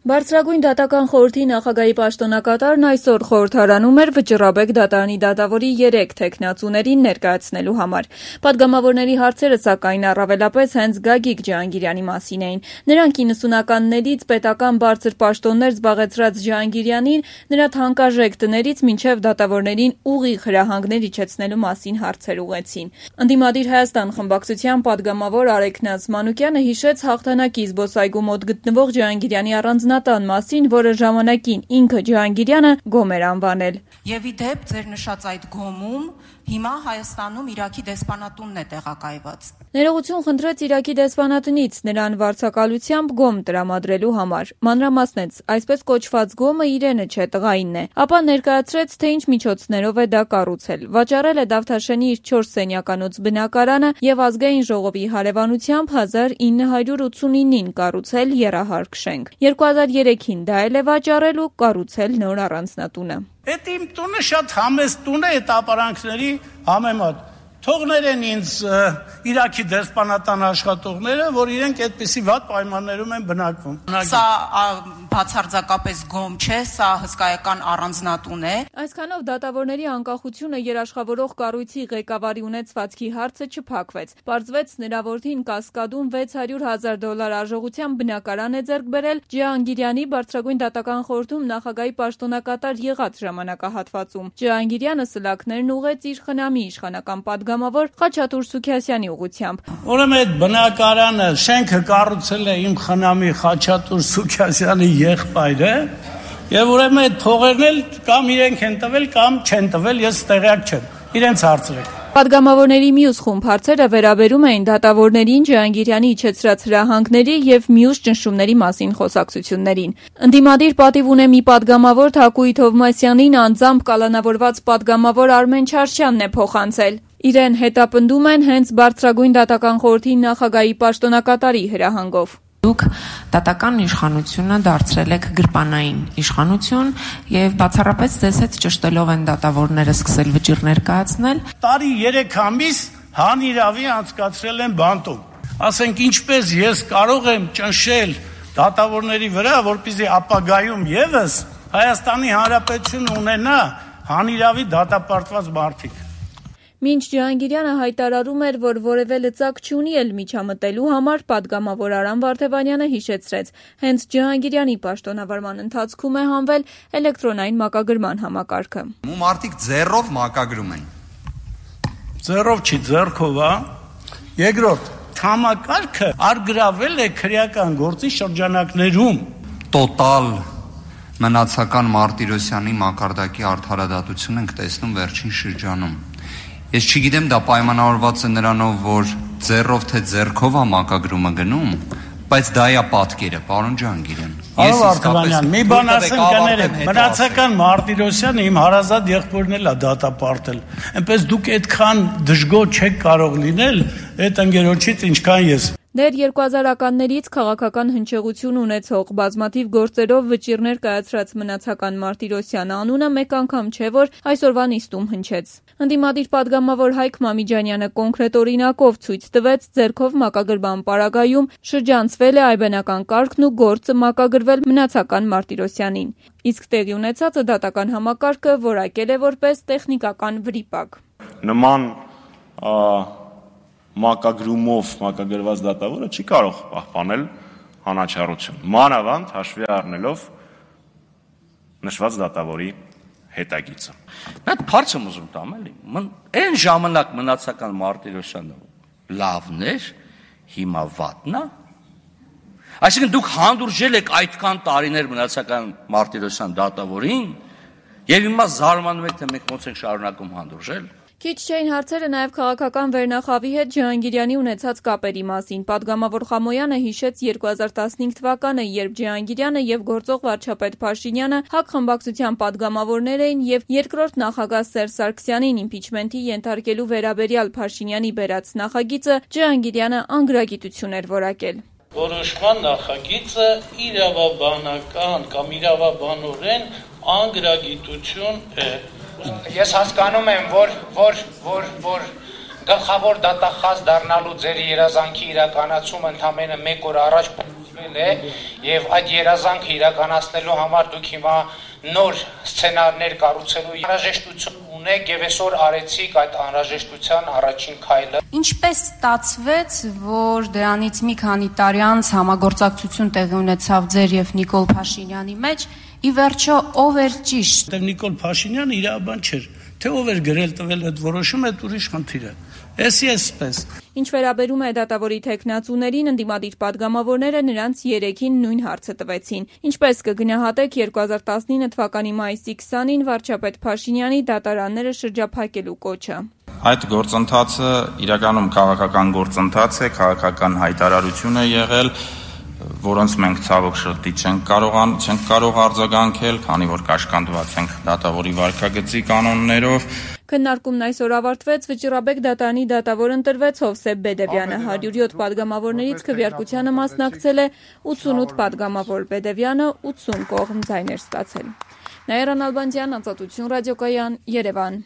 Բարձրագույն դատական խորհրդի նախագահի պաշտոնակատարն այսօր խորհրդարանում էր Վճռաբեկ դատարանի դատավորի 3 թեկնածուներին ներկայացնելու համար։ Պատգամավորների հարցերը սակայն առավելապես հենց Գագիկ Ջհանգիրյանի մասին էին։ Նրանք 90-ականներից պետական բարձր պաշտոններ զբաղեցրած Ջհանգիրյանին նրա թանկարժեք տներից մինչև դատավորներին ուղիղ հրահանգներ իջեցնելու մասին հարցեր ուղղեցին։ Ընդդիմադիր Հայաստան խմբակցության պատգամավոր Արեգ Մանուկյանը հիշեց հաղթանակի զբոսայգու մոտ գտնվող Ջհանգիրյանի առանձնատան մասին, որը ժամանակին ինքը Ջհանգիրյանը գոմ էր անվանել։ Եվ ի դեպ ձեր նշած այդ գոմում հիմա Հայաստանում Իրաքի դեսպանատունն է տեղակայված։ Ներողություն խնդրեց Իրաքի դեսպանատնից նրան վարձակալությամբ գոմ տրամադրելու համար։ Մանրամասնեց, այսպես կոչված գոմը իրենը չէ, տղայինն է։ Ապա ներկայացրեց, թե ինչ միջոցներով է դա կառուցել։ Վաճառել է Դավթաշենի իր 4 սենյականոց բնակարանը եւ Ազգային ժողովի հարևանությամբ 1989-ին կառուցել եռահարկ շենք։ 2003-ին դա էլ է վաճառել ու կառուցել նոր առանձնատունը։ Այդ իմ տունը շատ համեստ տուն է այդ ապարանքների համեմատ։ Թողներեն ինձ Իրաքի դեսպանատան աշխատողները, որ իրենք այդպիսի վատ պայմաններում են բնակվում։ Սա բացարձակապես գոմ չէ, սա հսկայական առանձնատուն է։ Այսքանով դատավորների անկախությունը երաշխավորող կառույցի ղեկավարի ունեցվածքի հարցը չփակվեց։ Պարզվեց նրա որդին Կասկադում $600,000 արժողությամբ բնակարան է ձեռք բերել Ջհանգիրյանի բարձրագույն դատական խորհրդում նախագահի պաշտոնակատար եղած ժամանակահատվածում։ Ջհանգիրյանը սլաքներն ուղղեց իր խնամի իշխանական պատգամավոր Խաչատուր Սուքիասյանի ուղղությամբ։ Ուրեմն այդ բնակարանը շենքը կառուցել է իմ խնամի Խաչատուր Սուքիասյանի եղբայրը, եւ ուրեմն այդ փողերն էլ կամ իրենք են տվել, կամ չեն տվել, ես տեղյակ չեմ։ Իրենց հարցրեք։ Պատգամավորների մյուս խումբ հարցերը վերաբերում էին դատավորներին Ջհանգիրյանի իջեցրած հրահանգների եւ մյուս ճնշումների մասին խոսակցություններին։ Ընդդիմադիր պատիվ ունե մի պատգամավոր Թակուի Թովմասյանին անձամբ կալանավորված պատգամավոր Արմեն Չարչյանն է փոխանցել։ Իրեն հետապնդում են հենց բարձրագույն դատական խորհրդի նախագահի պաշտոնակատարի հրահանգով։ Դուք դատական իշխանությունը դարձրել եք գրպանային իշխանություն եւ բացառապես ձեզ հետ ճշտելով են դատավորները սկսել վճիռներ կայացնել։ Տարի 3 ամիս հանիրավի անցկացրել են բանտում։ Ասենք ինչպես ես կարող եմ ճնշել դատավորների վրա, որպեսզի ապագայում եւս Հայաստանի Հանրապետությունը ունենա հանիրավի դատապարտված մարդիկ։ Մինչ Ջհանգիրյանը հայտարարում էր, որ որևէ լծակ չունի էլ միջամտելու համար, պատգամավոր Արամ Վարդևանյանը հիշեցրեց, հենց Ջհանգիրյանի պաշտոնավարման ընթացքում է հանվել էլեկտրոնային մակագրման համակարգը։ Մարդիկ ձեռով մակագրում են։ Ձեռով չի, ձեռքով, հա։ Երկրորդ, համակարգը արգրավել է քրեական գործի շրջանակներում։ Տոտալ մնացական Մարտիրոսյանի մակարդակի արդարադատություն ենք տեսնում վերջին շրջանում։ Ես չգիտեմ դա պայմանավորված է նրանով, որ ձեռով թե ձեռքով է մակագրումը գնում, բայց դա է պատկերը, պարոն Ջհանգիրյան։ Ես իսկապես մի բան ասեմ կներեք, մնացական Մարտիրոսյանը իմ հարազատ եղբորն էլ է դատապարտել։ Այնպես դուք այդքան դժգոհ չեք կարող լինել այդ ընկերոջից, ինչքան ես։ Դեռ 2000-ականներից քաղաքական հնչեղություն ունեցող բազմաթիվ գործերով վճիռներ կայացրած մնացական Մարտիրոսյանը անունը մեկ անգամ չէ, որ այսօրվա նիստում հնչեց։ Ընդդիմադիր պատգամավոր Հայկ Մամիջանյանը կոնկրետ օրինակով ցույց տվեց ձեռքով մակագրման պարագայում շրջանցվել է այբենական կարգն ու գործը մակագրվել մնացական Մարտիրոսյանին։ Իսկ տեղի ունեցածը դատական համակարգը որակել է որպես տեխնիկական վրիպակ։ Նման մակագրումով մակագրված դատավորը չի կարող պահպանել հանաչառություն, մանավանդ հաշվի առնելով նշված դատավորի հետագիծը։ Այդ փարց եմ ուզում տամ էլի։ Այն ժամանակ մնացական Մարտիրոսյանը լավն էր, հիմա վատն է։ Այսինքն դուք հանդուրժել եք այդքան տարիներ մնացական Մարտիրոսյան դատավորին, եւ հիմա զարմանում եք, թե մենք ոնց ենք շարունակում հանդուրժել։ Քիչ չէին հարցերը նաև քաղաքական վերնախավի հետ Ջհանգիրյանի ունեցած կապերի մասին։ Պատգամավոր Խամոյանը հիշեց 2015 թվականը, երբ Ջհանգիրյանը եւ գործող վարչապետ Փաշինյանը ՀԱԿ խմբակցության պատգամավորներ էին եւ երկրորդ նախագահ Սերժ Սարգսյանին իմպիչմենթի ենթարկելու վերաբերյալ Փաշինյանի բերած նախագիծը Ջհանգիրյանը անգրագիտություն էր որակել։ Որոշման նախագիծը իրավաբանական կամ իրավաբանորեն անգրագիտություն է։ Ես հասկանում եմ, որ գլխավոր դատախազ դառնալու ձեր երազանքի իրականացումը ընդամենը 1 օր առաջ է եւ այդ երազանքը իրականացնելու համար դուք հիմա նոր սցենարներ կառուցելու անհրաժեշտություն ունեք եւ այսօր արեցիք այդ անհրաժեշտության առաջին քայլը։ Ինչպես ստացվեց, որ դրանից մի քանի տարի անց համագործակցություն տեղի ունեցավ ձեր եւ Նիկոլ Փաշինյանի մեջ, ի վերջո ով էր ճիշտ։ Նիկոլ Փաշինյանը իր բան չէր, թե ով էր գրել տվել այդ որոշումը, այդ ուրիշ խնդիր է։ Էսպես։ Ինչ վերաբերում է դատավորի թեկնածուներին, ընդդիմադիր падգամավորները նրանց 3-ին նույն հարցը տվեցին։ Ինչպես կգնահատեք 2019 թվականի մայիսի 20-ին վարչապետ Փաշինյանի դատարանները շրջափակելու կոչը։ Այդ գործընթացը իրականում քաղաքական գործընթաց է, քաղաքական հայտարարություն է եղել, որոնց մենք ցավոք շղթի չենք կարող արձագանքել, քանի որ կաշկանդված ենք դատավորի վարքագծի կանոններով։ Քննարկումն այսօր ավարտվեց, Վճռաբեկ դատարանի դատավոր ընտրվեց Հովսեփ Բեդևյանը, 107 падգամավորներից քվեարկությանը մասնակցել է 88 падգամավոր, Բեդևյանը 80 կողմ ձայներ ստացել։ Նաիրա Նալբանդյան, Ազատություն ռադիոկայան, Երևան։